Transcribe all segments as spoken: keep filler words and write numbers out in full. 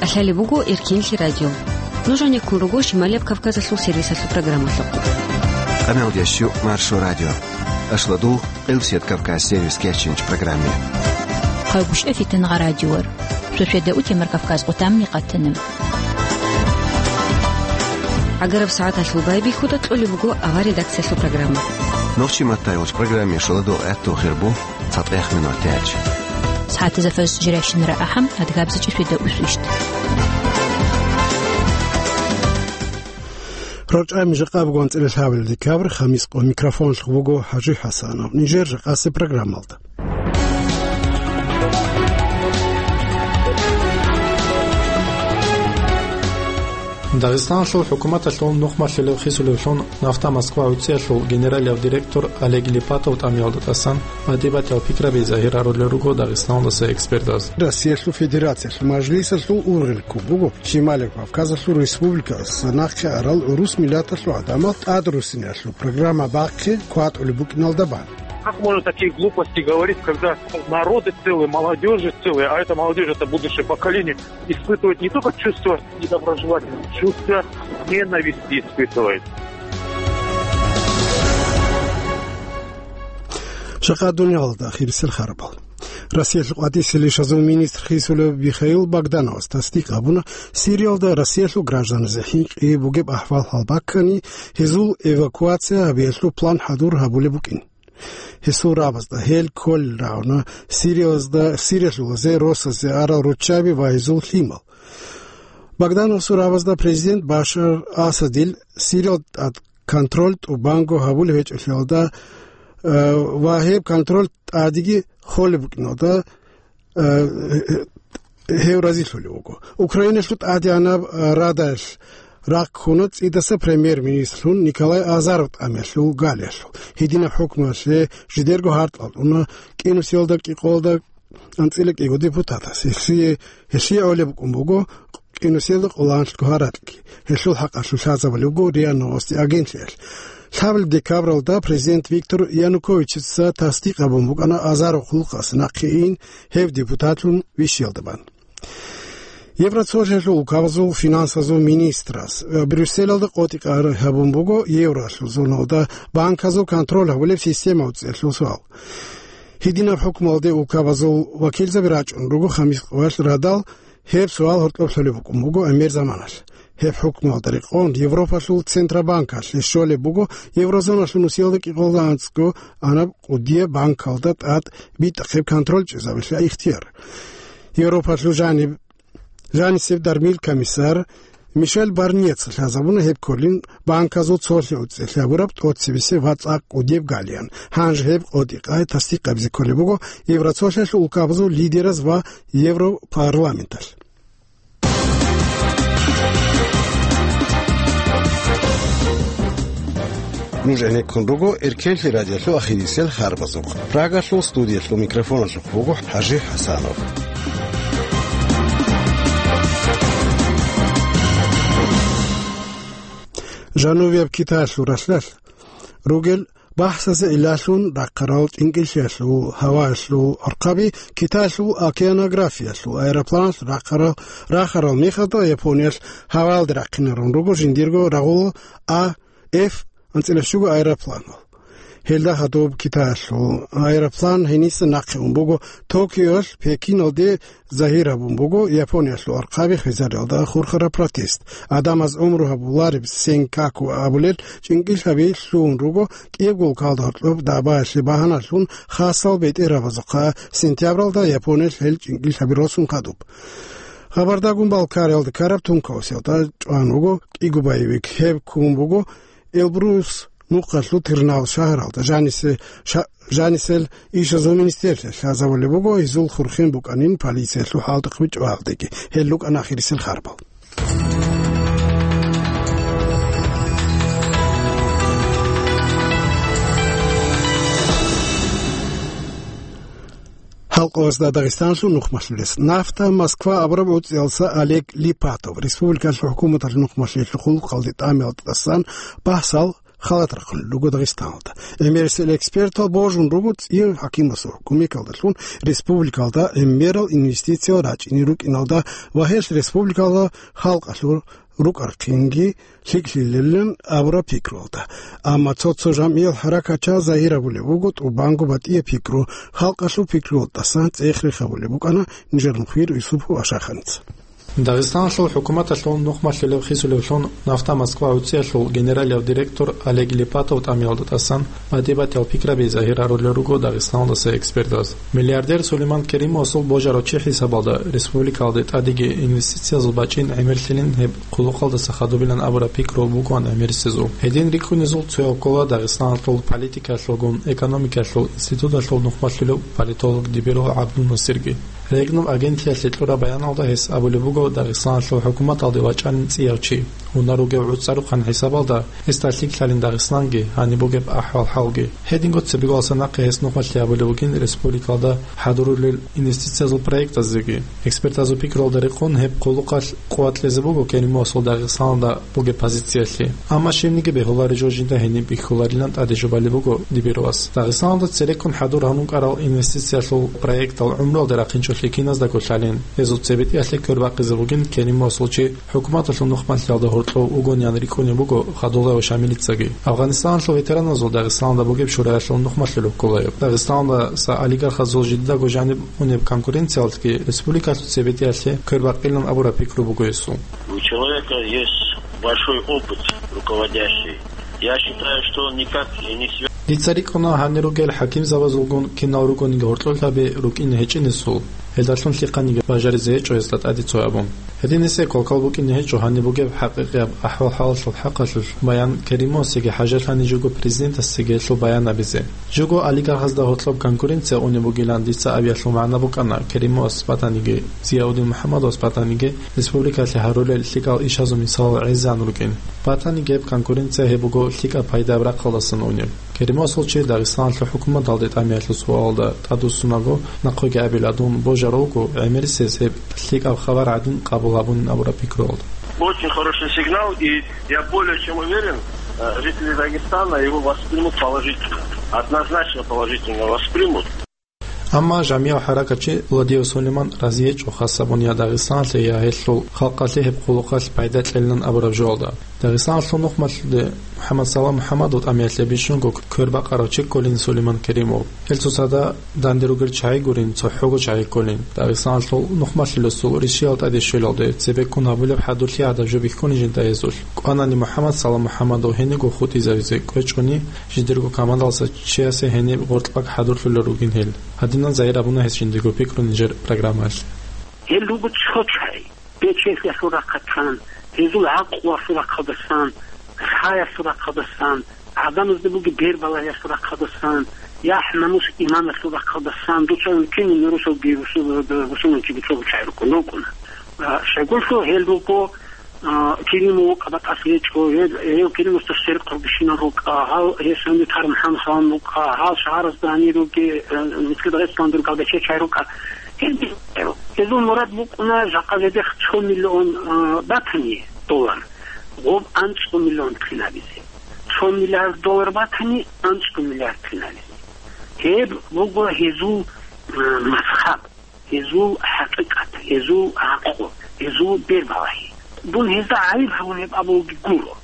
КӀалъалеб буго Эркенлъи радио. Нуж гьанеккун руго Шималияб Кавказалъул сервисалъул программалъухъ. Къамелдящу Маршо радио. Ашладул Къилсият Кавказ сервис кечинч программе. Хъагушев Фитнагъа радиор. Шошеда утемар Кавказ къутамни къатанам. ГӀагараб сагӀаталъул байбихьуда кьолеб буго авар редакциялъул программа. Нохчи маттайгъуч программе шоладул гӀатту хирбу цатӀех минутач. СагӀатазда фарз жирайщинара ахӀам, адгабзачӀи шведа усвищт. РорчӀами жакъа бугон цӀилалъавил декабрь, хамис къо микрофонлъ вуго ХӀажи ХӀасанов. Нижер жакъасе программалда. Дагъистаналъул хӀукуматалъул нухмалъулев хисулевлъун нафта Москва гӀуцӀиялъул генералияв директор Олег Липатов тӀамиялда тӀасан батӀи-батӀиял пикраби загьир гьарулел руго Дагъистаналдаса экспертаз. Россиялъул Федерациялъул Мажлисалъул ургъел ккун буго Шималияб Кавказалъул республикаялдаса нахъе арал гӀурус миллаталъул гӀадамал тӀадрусиналъул программа бахъи кватӀулеб букӀиналда бан. Как можно такие глупости говорить, когда народы целые, молодежи целые, а это молодежь, это будущее поколение, испытывает не только чувство недоброжелательности, чувство ненависти испытывает. Жакъа дуниялалда ахирисел харбал. Россиялъул къватӀисел ишазул министр хисулев Михаил Богдановас тасдикъ гьабуна, Сириялда Россиялъул гражданазе хӀинкъи бугеб ахӀвал гьалбаккани, гьезул эвакуация гьабиялъул план хӀадур гьабулеб букӀин. Гьесул рабазда гьел кколел рагӀуна Сириязда, Сириялъулазе росазе арал руччаби ва гьезул лъимал. Богдановасул рабазда президент Башар Асадил Сириялда тӀад контроль тӀубанго гьабулеб гьечӀолъиялда, э, ва гьеб контроль тӀадеги холеб букӀиналда, э, гьев разилъулев вуго. Украиналъул тӀадегӀанаб, э, Радаялъ рахъ ккуна цӀидаса премьер-министрлъун Николай Азаров тӀамиялъул галиялъул. Гьединаб хӀукмуялъе жидерго гьаркьал уна кӀинусиялда кӀикъоялда анцӀила кӀиго депутатас. Гьелъие, гьелъие гӀолеб букӀун буго кӀинусиялда къоланлъго гьаракьги. Гьелъул хӀакъалъулъ лъазабулеб буго РИА Новости агентлъиялъ. Лъабабилеб декабралда президент Виктор Януковичица тасдикъ гьабун букӀана Азаров хъулухъасе нахъе ин гьев депутатлъун вищиялда бан. Евроцолъиялъул улкабазул финансазул министрас, э, Брюсселалда къотӀи-къар гьабун буго евролъул зоналда банказул контроль гьабулеб система уцӀиялъул суал. Гьединаб хӀукмуялде улкабазул вакилзаби рачӀун руго хамис къоялъ радал, гьеб суал гьоркьоб лъолеб букӀун буго гӀемер заманалъ. Гьеб хӀукмуялда рекъон Европалъул Центробанкалъе щолеб буго еврозоналъул нусиялда кӀикъоялда анцӀго анаб кӀудияб банкалда тӀад битӀахъеб контроль чӀезабилъа ихтияр. Европалъул жаниб Жанисеб дармил комиссар Мишель Барньеца лъазабуна гьеб кколин банказул цолъи уцӀиялъ гьабураб тӀоцебесеб ва цӀакъ кӀудияб галиан. Гьанже гьеб къотӀи-къай тасдикъабизе кколеб буго Евроцолъиялъул улкабазул лидераз ва Европарламенталъ. Нуж гӀенеккун руго Эркенлъи радиолъул ахирисел харбазухъ. Прагалъул студиялъул микрофоналъухъ буго ХӀажи ХӀасанов. Жанубияб Китаялъул ралъдалъ ругел бахӀсазе гӀиллалъун рахъарал тӀинкӀиллъиялъул гьаваялъул архъаби Китаялъул океанографиялъул аэропланалъ рахъарал, рахарал мехалда Япониялъ гьаваялде рахъинарун руго жиндирго рагъула А Ф анцӀила щуго аэропланал. Гьелда хадуб Китаялъул аэроплан гьениса нахъе ун буго. Токиоялъ Пекиналде загьир гьабун буго Япониялъул архъаби хвезариялда хурхараб протест. Адамаз гӀумру гьабулареб Сенкаку абулел чӀинкӀиллъаби лъугьун руго, кӀиябго улкалда гьоркьоб дагӀбаялъе багьаналъун хасал бетӀергьабазухъа сентябралда Япониялъ гьел чӀинкӀиллъаби росун хадуб. Хабардагун Балкариялда ккараб тункаусиялда чӀван вуго кӀиго боевик. Гьеб ккун буго Эльбрус нухъалъул Тырнавус шагьаралда жанисе-, ша-, жанисел ишазул министрлъиялъ лъазабулеб буго, гьезул хурхен букӀанин полициялъул хӀалтӀухъби чӀваялдеги. Гьел рукӀана ахирисел харбал. Халкъалъазда Дагъистаналъул нухмалъулес. Нафта Москва абураб гӀуцӀиялдаса Олег Липатов республикалъул хӀукуматалъул нухмалъиялъул хъулухъалде тӀамиялда тӀасан бахӀсал халат рахъун руго Дагъистаналда. ГӀемерисел экспертал божун руго цӀияв хӀакимасул кумекалдалъун республикалда гӀемерал инвестициял рачӀине рукӀиналда ва гьелъ республикалда халкъалъул рукӀархъинги лъикӀлъилелин абураб пикруялда. Амма цо-цо жамгӀиял хӀаракатчиял загьир абулеб буго тӀубанго батӀияб пикру, халкъалъул пикруялдасан цӀех-рех гьабулеб букӀана нижер мухьбир Юсупов Ашаханица. Дагъистаналъул хӀукуматалъул нухмалъулеб хисулевлъун нафта Москва гӀуцӀиялъул генералияв директор Олег Липатов тӀамиялда тӀасан батӀи-батӀиял пикраби загьир гьарулел руго Дагъистаналдаса экспертаз. Миллиардер Сулейман Керимовасул божарав чи хӀисабалда республикалде тӀадеги инвестициязул бачӀин гӀемерлъилин гьеб хъулухъалдаса хадубилан абураб пикру бугоан гӀемерисезул. Гьедин рикӀкӀунезул цояв ккола Дагъистаналъул политикаялъулгун экономикаялъул институталъул нухмалъулев политолог Дибиров ГӀабдунасирги. Регнум агентлъиялъе кьураб баяналда гьес абулеб буго Дагъистаналъул хӀукуматалде вачӀанин цӀияв чи. Унар ругев гӀуцӀарухъан хӀисабалда гьесда лъикӀлъалин Дагъистанги, гьаниб бугеб ахӀвал-хӀалги. Гьединго цебеголаса нахъе гьес нухмалъи абулеб бугин республикалда хӀадурулел инвестициязул проектазеги. Экспертазул пикруялда рекъон гьеб хъулухъалъ къуват кьезе буго Керимовасул Дагъистаналда бугеб позициялъе. Амма щибниги бегьулареб жо жинда гьениб бихьуларилан тӀаде жубалеб буго Дибировас. Дагъистаналда цереккун хӀадур гьанун кӀарал инвестициялъул проектал гӀумруялде рахъинчӀолъи киназдаго лъалин, гьезул цебетӀиялъе квербакъизе бугин Керимовасул чи хӀукуматалъул нухмалъиялда гьоркьов вугониан рикӀкӀунеб буго Хадулаев Шамилицаги. Афганистаналъул ветераназул Дагъистаналда бугеб шураялъул нухмалъулев кколайо. Дагъистаналдаса олигархазул жидедаго жаниб унеб конкуренциялъги республикалъул цебетӀиялъе квербакъилан абураб пикру буго гьесул. У человека есть большой опыт руководящий. Я считаю, что он никак и не связан. Дица рикӀкӀуна гьанир ругел хӀакимзабазулгун кинал ругониги гьоркьоб лъаби рукӀине гьечӀинесул, гьелдалъун лъихъаниги бажаризе гьечӀо гьесда тӀаде цо абун. Гьединисеб квалквал букӀине гьечӀо гьаниб бугеб хӀакъикъияб ахӀвал-хӀалалъул хӀакъалъулъ баян Керимовасеги хӀажалъани жого президентасеги гьелъул баян абизе. Жого олигархазда гьоркьоб конкуренция унеб бугилан дица абиялъул магӀна букӀана Керимовас батаниги, Зияудин МухӀаммадовас батаниги республикалъе гьарулел лъикӀал ишазул мисалал гӀезегӀан рукӀин. Батаниги гьеб конкуренция гьеб буго лъикӀаб пайдаяб рахъалдасан унеб. Керимовасул чи Дагъистаналъул хӀукуматалде тӀамиялъул суалалда тӀадвуссунаго, нахъеги абила дун божарав вуго гӀемерисез гьеб лъикӀаб хабар гӀадин къабул гьабунин абураб пикруялда. Очень хороший сигнал, и я более чем уверен, э, жители Дагестана его воспримут положительно. Однозначно положительно воспримут. Амма жамияв хӀаракатчи Ладиев Сулейман разиечӀо хасабун я Дагъистаналъе, я гьелъул халкъалъе гьеб хъулухъалъ пайда кьелилан абураб жоялда. Дагъистаналъул нухмалъулде МухӀаммад Салам МухӀаммадов тӀамиялъе бищунго квербакъарав чи кколин Сулейман Керимов. Гьел цоцазда данде ругел чагӀи гурин, цохӀого чагӀи кколин. Дагъистаналъул нухмалъулесул ришиял тӀаде щвелалде, цебеккун гьабулеб хӀадурлъи гӀадаб жо бихьунин жинда гьезулъ. КӀванани МухӀаммад Салам МухӀаммадов гьениго хутӀизавизе кӀвечӀони, жидерго командалъа чиясе гьениб гъоркьбаг хӀадурлъулел ругин гьел. Гьадинан загьир абуна гьес жиндирго пикру нижер программаялъ. Гьел руго цо чагӀи. Бечелъиялъул рахъалдасан, гьезул гӀакълуялъул рахъалдасан, лъаялъул рахъалдасан, гӀадамазда бугеб бербалагьиялъул рахъалдасан, яхӀ-намус-иманалъул рахъалдасан, дуца виччинин русалги, русул-, русуланчиги цо чагӀи рукӀун рукӀуна. А, щайгурелъул гьел руго, а, Керимов вукӀа батӀалъи гьечӀо, гьел, гьев Керимовасда сверухъ рубищинал рукӀа, гьал гьесунги Тармханхъан рукӀа, гьал шагьаразда гьанир руги, а, Мицкида гъецӀлъан рукӀа, бече чай рукӀа. Гьел, гьезул мурад букӀуна жакъа жидехъ цо миллион, а, батани доллар, гъоб анцӀго миллион кьин гьабизе. Цо миллиард доллар батани, анцӀго миллиард кьин гьабизе. Гьеб буго гьезул, а, мазхаб. Гьезул хӀакъикъат, гьезул гӀакълу, гьезул бербалагьи. Дун гьезда гӀайиб гьабун гьеб абулги гуро.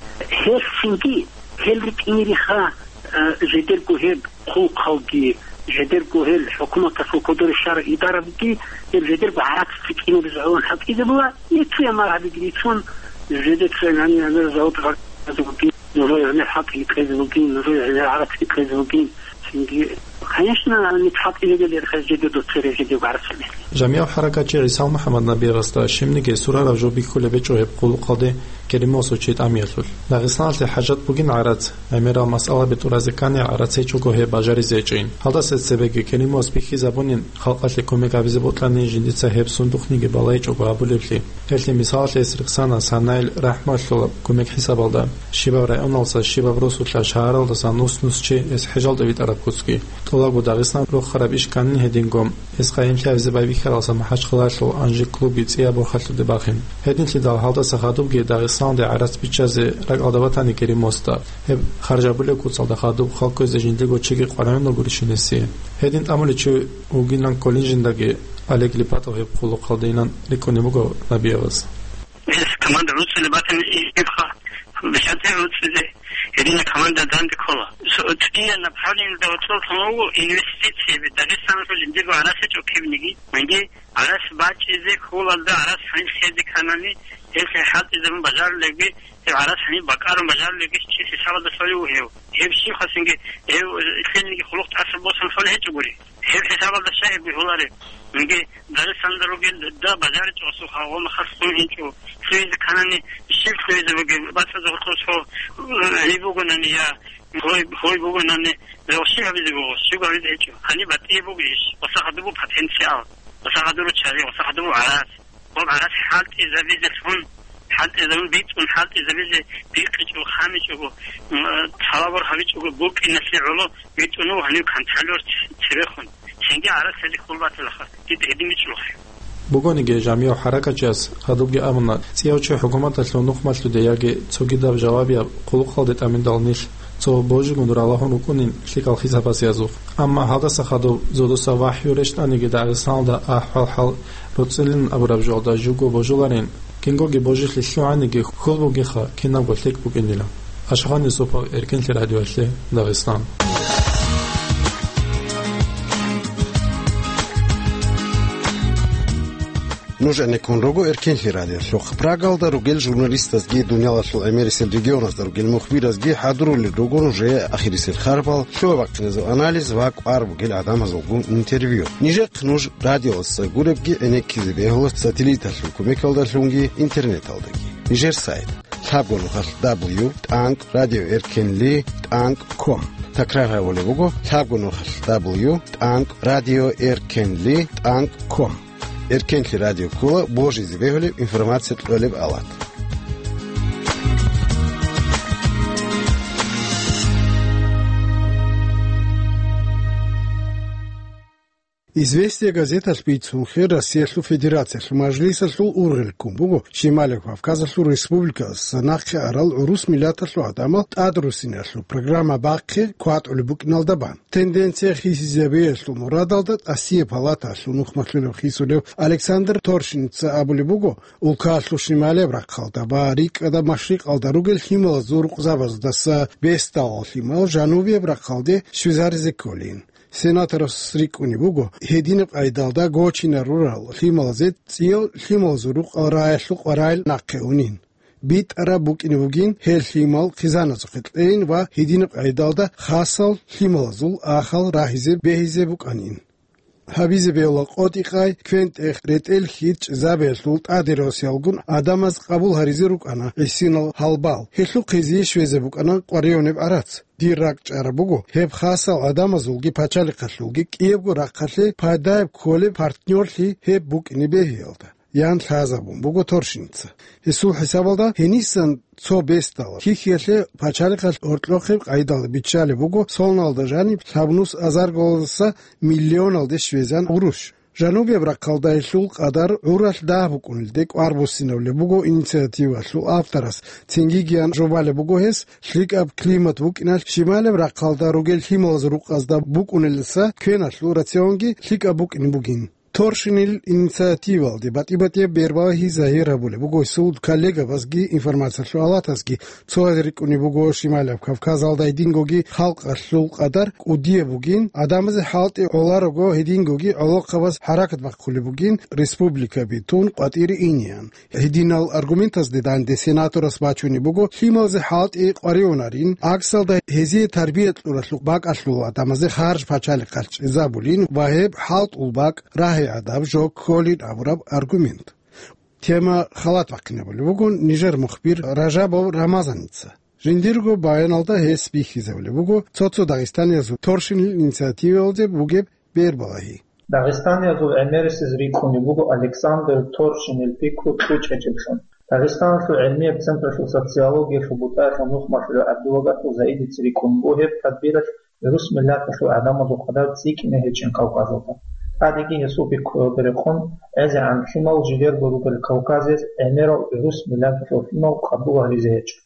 Гьелъинги, гьел ритӀинериха, э, жидерго гьеб хъулухъалги, жидерго гьел хӀукуматалъул кодоре щварал идарабги, гьеб жидерго гӀарац цӀикӀкӀинабизе гӀолон хӀалтӀизабула, ницуя маргьабиги рицун, жидер цоян гьанир-гьанир завод гъаркьазе бугин, нужее гьанир хӀалтӀиги кьезе бугин, нужее гьанир гӀарацги кьезе бугин. Цинги, конечно, нилъ хӀалтӀизабулеб гьечӀо жидер доццерей жидер гӀарацалъе. Жамияв хӀаракатчи ГӀисал МухӀаммад Набиевасда щибниги сурараб жо бихьулеб гьечӀо гьеб хъулухъалде Керимовасул чи тӀамиялъулъ. Дагъистаналъе хӀажат бугин гӀарац, гӀемерал масъала бетӀеразе ккани гӀарац гьечӀого гьеб бажаризе гьечӀин. Гьалдаса цебеги Керимовас бихьизабунин, халкъалъе кумек гьабизе бокьани жиндица гьеб сундухъниги балайчӀого гьабулеблъи. Гьелъие мисалалъе гьес рехсана Санаил РахӀматуллал кумек хӀисабалда. Щибаб районалдаса, щибаб росулъа шагьаралдасан нус-нус чи гьес хӀежалде витӀараб куцги. ТӀолаб Дагъистан рохараб иш кканин гьединго, гьес къайимлъи гьабизе байбихьаралдаса МахӀачхъалаялъул «Анжи» клубги цӀияб борхалъуде бахин. Гьединлъидал гьалдаса хадубги Дагъистаналде гӀарац биччазе ракӀалда батани Керимосда, гьеб харжабулеб куцалда хадуб хал кквезе жиндирго чиги къваригӀун ругурищин гьесие. Гьедин тӀамулев чи вугилан кколин жиндаги, Олег Липатов гьеб хъулухъалдейилан рикӀкӀунеб буго Набиевас. Гьес команда руцӀцӀулеб батани, гьебха бихьанте руцӀцӀизе, гьедина команда данде ккола. Цо-, цӀия направлениеда гьоркьосан вуго инвестицияби, Дагъистаналъул жиндирго гӀарац гьечӀо кибниги. Гьанже гӀарац бачӀизе, хьулалда гӀарац гьаниб лъезе кканани, гьелъ хӀалтӀизабун бажарулебги, гьеб гӀарац гьаниб бакӀарун бажарулебги чи хӀисабалда лъолев вугев. Гьеб щиб хасинги, гьев лъелниги хъулухъ тӀаса босун лъолеб гьечӀогури. Гьеб хӀисабалда щай гьеб бихьулареб? Инги Дагъистанда ругел да бажаричӀо асухъа ва махалъ лъугьинчӀо. Лъугьизе кканани, щиб лъугьизе бугеб? БацӀцӀадзе гьоркьор цо, э, гьеб бугонани я, гьой, гьой бугонани, я щиб гьабизе буго, щиб гьабизе гьечӀо. Гьаниб батӀияб буго иш, ва сахадубу потенциал, ва сахадуру чагӀи, ва сахадубу гӀарац. Ва гӀарац хӀалтӀизабизе лъун, хӀалтӀизабун бицун, хӀалтӀизабизе бикъичӀого, хамичӀого, м, талабур гьабичӀого букӀиналъе гӀоло битӀун вуго гьанив контролёр цебехун. Цинги гӀарац гьезе хьул батилаха, дида гьедин бичӀчӀулахъе. Бугониги, жамигӀ хӀаракатчияс хадубги абуна, цӀияв чи хӀукуматалъул нухмалъуде яги цогидаб жавабияб хъулухъалде тӀаминдал нилъ цо божигун ралагьун рукӀунин лъикӀал хӀисабазеязухъ. Амма гьалдаса хадуб зодуса вахӀю рещтӀаниги Дагъистаналда ахӀвал-хӀал руцӀцӀилин абураб жоялда жуго божуларин, кингоги божилъи лъугӀаниги хьул бугеха кинабго лъикӀ букӀинила. Ашгъан Юсупов, Эркенлъи радиоялъе, Дагъистан. Нуж гӀенеккун руго Эркенлъи радиолъухъ. Прагалда ругел журналистазги, дуниялалъул гӀемерисел регионазда ругел мухбиразги хӀадурулел руго нужее ахирисел харпал, лъугьа-бахъиназул анализ ва кӀвар бугел гӀадамазулгун интервью. Нижехъ нуж радиоялдаса гуребги гӀенеккизе бегьула сателлиталъул кумекалдалъунги интернеталдаги. Нижер сайт: лъабго нухалъ дабл ю тӀанкӀ радио эркенли тӀанкӀ ком. Такрар гьабулеб буго: лъабго нухалъ дабл ю тӀанкӀ радио эркенли тӀанкӀ ком. Эркенлъи радио ккола божизе бегьулеб информация кьолеб алат. «Известия» газеталъ бицунхъе, Россиялъул Федерациялъул Мажлисалъул ургъел ккун буго Шималияб Кавказалъул республикаялдаса нахъе арал гӀурус миллаталъул гӀадамал тӀадруссиналъул программа бахъе кватӀулеб букӀиналда бан. Тенденция хисизабиялъул мурадалда тӀасияб палатаялъул нухмалъулев хисулев Александр Торшинца абулеб буго, улкаялъул шималияб рахъалда ва рикӀкӀадаб машрикъалда ругел лъималазул рукъзабаздаса бесдалал лъимал жанубияб рахъалде щвезаризе кколин. Сенаторас рикӀкӀунеб буго, гьединаб къайдалда гочинарурал лъималазе цӀиял лъималазул рукъал рагӀиялъул къваригӀел нахъе унин. БитӀараб букӀине бугин гьел лъимал хъизаназухъе кьейин ва гьединаб къайдалда хасал лъималазул ахал рагьизе бегьизе букӀанин. Гьабизе бегьула къотӀи-къай, квен-тӀех, ретӀел-хьи, чӀезабиялъул тӀаде росиялгун гӀадамаз къабул гьаризе рукӀана гӀисинал гьалбал. Гьелъухъе жиндие щвезе букӀана къваригӀунеб гӀарац. Дир ракӀ чӀараб буго, гьеб хасал гӀадамазулги пачалихъалъулги кӀиябго рахъалъе пайдаяб кколеб партнёрлъи гьеб букӀине бегьиялда, ян лъазабун буго Торшинца. Гьесул хӀисабалда, гьенисан цо бесдала хьихьиялъе пачалихъалъ гьоркьохъеб къайдалда биччалеб буго, солналда жаниб лъабнус азаргалдаса миллионалде щвезан гӀурущ. Жанубияб рахъалда гьелъул къадар гӀуралъ дагь букӀунелде кӀвар буссинабулеб буго инициативалъул авторас, цинги кӀиябго жо балеб буго гьес, лъикӀаб климат букӀиналъ шималияб рахъалда ругел лъималазул рукъазда букӀунелдаса квеналъул рационги лъикӀаб букӀине бугин. Торшинил инициативалде батӀи-батӀияб бербалагьи загьир гьабулеб буго гьесул коллегабазги информациялъул алатазги. Цояз рикӀкӀунеб буго, Шималияб Кавказалда гьедингоги халкъалъул къадар кӀудияб бугин, гӀадамазе хӀалтӀи гӀоларого гьедингоги гӀолохъабаз хӀаракат бахъулеб бугин, республикаби тун къватӀире инеян. Гьединал аргументазде данде сенаторас бачунеб буго, лъималазе хӀалтӀи къваригӀунарин, аксалда гьезие тарбия кьуралъухъ бакӀалъул гӀадамазе харж пачалихъалъ чӀезабулин ва гьеб хӀалтӀул бакӀ рагьи гӀадаб жо кколин абураб аргумент. Тема халат бахъинабулеб буго нижер мухбир Ражабов Рамазаница. Жиндирго баяналда гьес бихьизабулеб буго цо-цо дагъистаниязул Торшинил инициативалде бугеб бербалагьи. Дагъистаниязул гӀемерисез рикӀкӀунеб буго Александр Торшинил пикру кьучӀ гьечӀеблъун. Дагъистаналъул гӀилмияб централъул социологиялъул бутӀаялъул нухмалъулев ГӀабдуллагатул Заидица рикӀкӀун буго гьеб тадбиралъ гӀурус миллаталъул гӀадамазул къадар цӀикӀкӀине гьечӀин Кавказалда. ТӀадеги гьесул пикруялда рекъон, гӀезегӀан лъимал жидерго ругел Кавказиялъ гӀемерал гӀурус миллаталъул лъимал къабул гьаризе гьечӀо.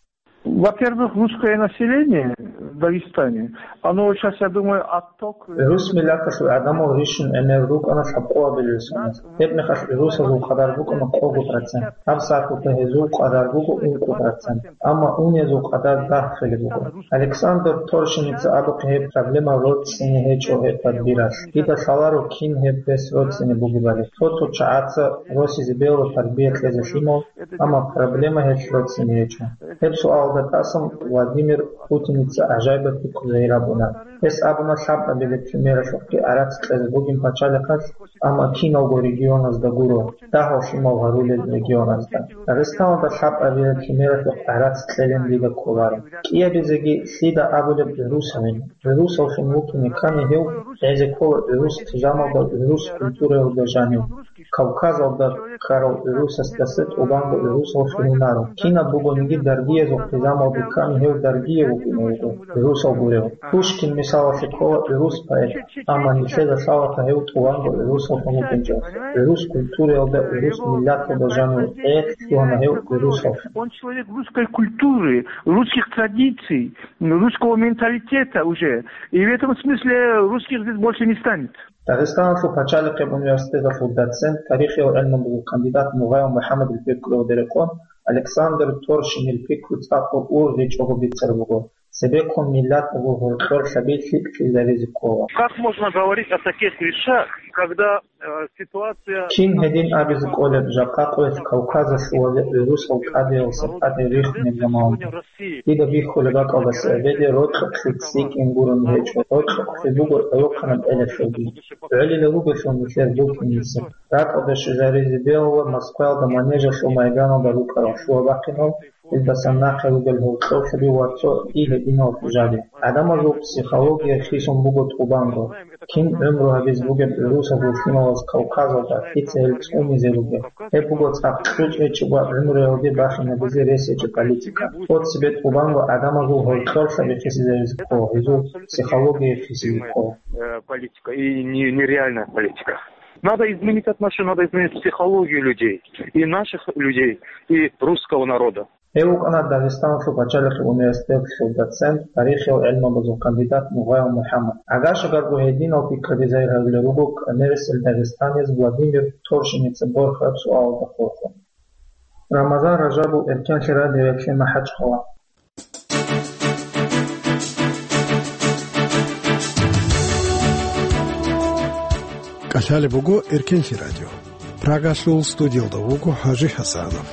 Во-первых, русское население в Дагестане, оно сейчас, я думаю, отток... ГӀурус миллаталъул гӀадамал рищун гӀемер рукӀана лъабкъоабилеб соналъ. Гьеб мехалъ гӀурусазул къадар букӀана къого процент. Гьаб сахлъухъе гьезул къадар буго ункъо процент. Амма унезул къадар дагь хилеб буго. Александр Торшиница абухъе гьеб проблема роцӀцӀине гьечӀо гьеб тадбиралъ. Дида лъаларо кин гьеб гьес роцӀцӀине бугебали. Цо-цо чагӀаца росизе бегьула тарбия кьезе лъимал, амма проблема гьелъ роцӀцӀине гьечӀо. Гьеб суалда тӀасан Владимир Путиница гӀажаибаб пикру загьир гьабуна. Гьес абуна лъабабилеб лъимералъухъги гӀарац кьезе бугин пачалихъалъ, амма киналго регионазда гуро, дагьал лъимал гьарулел регионазда. Дагъистаналда лъабабилеб лъимералъухъ гӀарац кьелин дида кколаро. КӀиабизеги лъида абулеб гӀурусавин. ГӀурусавлъун вукӀине ккани гьев, гӀезе ккола гӀурус хъизамалда, гӀурус культураялда жанив. Кавказалда ккарав гӀурусасдаса тӀубанго гӀурусавлъун унаро. Кинаб бугониги даргиязул хъизамалде ккани гьев даргияв вукӀине вуго, гӀурусав гурев. Пушкин мисалалъе ккола гӀурус поэт, амма нилъеда лъалаха гьев тӀубанго гӀурусавлъун вукӀинчӀо. ГӀурус культураялда, гӀурус миллаталда жанив гӀехь лъугьана гьев гӀурусавлъун. Он человек русской культуры, русских традиций, русского менталитета уже. И в этом смысле русских здесь больше не станет. Дагъистаналъул пачалихъеб университеталъул доцент, тарихиял гӀелмундазул кандидат Мугъаев МухӀаммадил пикруялда рекъон, Александр Торшинил пикру цӀакъго ургъичӀого бицараб буго. Цебеккун миллаталъул гьоркьорлъаби лъикӀлъизаризе ккола. Как можно говорить о таких вещах, когда, э, ситуация... Кин гьедин абизе кӀолеб, жакъа къоялъ Кавказалъували гӀурусал тӀадеялъа тӀаде рихунеб заман. Дида бихьулеб бакӀалдаса эбеде рокьукълъи цӀикӀкӀин гурони гьечӀо, рокьукълъи буго гӀолохъанаб элялъулги. ГӀолилал ругелъул нилъер букӀин нисиб. РакӀалде щвезаризе бегьула Москваялда Манежалъул майданалда рукӀарал лъугьа-бахъинал, илдасан нахъе ругел гьоркьорлъаби ва цо дие гьединал хӀужаби. ГӀадамазул психология хисун буго тӀубанго. Кин гӀумру гьабизе бугеб гӀурусазул лъималаз Кавказалда, лъица гьел цӀунизе ругел? Гьеб буго цӀакъ кьучӀ гьечӀеб ва гӀумруялде бахинабизе рес гьечӀеб политика. Цо цебе тӀубанго гӀадамазул гьоркьорлъаби хисизаризе ккола, гьезул психология хисизе ккола. Э, политика и не-, нереальная политика. Надо изменить отношение, надо изменить психологию людей, и наших людей, и русского народа. Гьев вукӀана Дагъистаналъул пачалихъ университеталъул доцент, тарихиял гӀелмабазул кандидат Мугъаев МухӀаммад. Агашагарго гьединал пикраби загьир гьарулел руго кӀанерисел дагъистаниз Владимир Торшиница борхараб суалалда хурхун. Рамазан Ражабов, Эркенлъи радиоялъе МахӀачхъала. КӀалъалеб буго Эркенлъи радио. Прагалъул студиялда вуго ХӀажи ХӀасанов.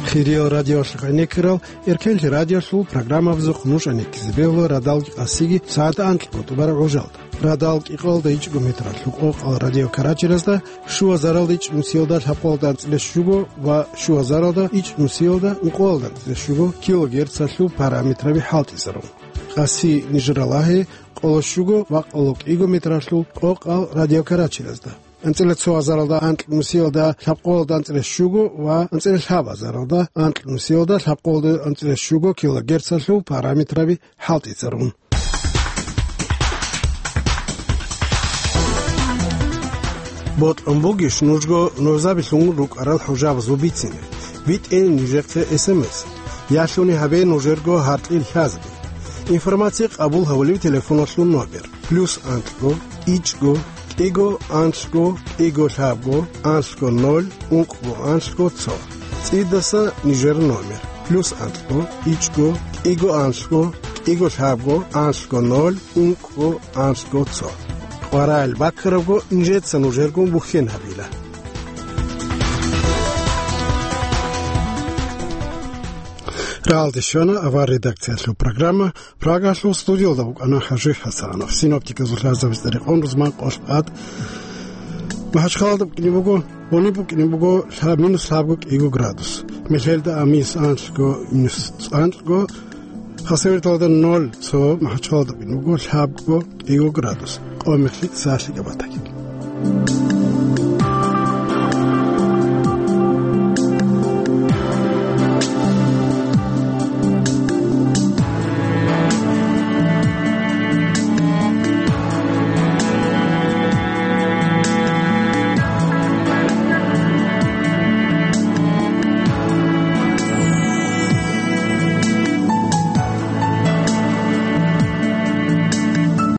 Хириял радиоялъухъ гӀенеккарал Эркенлъи радиоялъул программабазухъ нуж гӀенеккизе бегьула радал къасиги сагӀат анкьго тӀубараб гӀужалда. Радал кӀикъоялда ичӀго метралъул къокъал радиокарачиразда, щугьазаралда ичӀнусиялда лъабкъоялда анцӀила щуго ва щугьазаралда ичӀнусиялда ункъоялда анцӀила щуго килогерцалъул параметраби хӀалтӀизарун. Къаси нижер лагьи къоло щуго ва къоло кӀиго метралъул къокъал радиокарачиразда. АнцӀила цо азаралда анкьнусиялда лъабкъоялда анцӀила щуго ва анцӀила лъаб азаралда анкьнусиялда лъабкъоялда анцӀила щуго килогерцалъул параметраби хӀалтӀизарун. Бокьун бугищ нужго нужабилъун рукӀарал хӀужабазул бицине? БитӀе нижехъе эс эм эс. Ялъуни гьабе нужерго гьаркьил лъазаби. Информация къабул гьавулев телефоналъул номер: плюс анлъго, ичӀго, кӀиго, анлъго, кӀиго, лъабго, анлъго, ноль, ункъго, анлъго, цо. ЦӀидаса нижер номер: плюс анлъго, ичӀго, кӀиго, анлъго, кӀиго, лъабго, анлъго, ноль, ункъго, анлъго, цо. КъваригӀел баккарабго нижеца нужергун бухьен гьабила. Рагьалде щвана авар редакциялъул программа. Прагалъул студиялда вукӀана ХӀажи ХӀасанов. Синоптиказул лъазабица рекъон рузман къолъ тӀад. МахӀачхъалалда букӀине буго, гьуниб букӀине буго лъа-, минус лъабго кӀиго градус. Мелъелда а минус анлъго, минус цӀанлъго. Хасавюрталда ноль цо, МахӀачхъалалда букӀине буго лъабго кӀиго градус. Къо мехлъи сахлъи габатаги.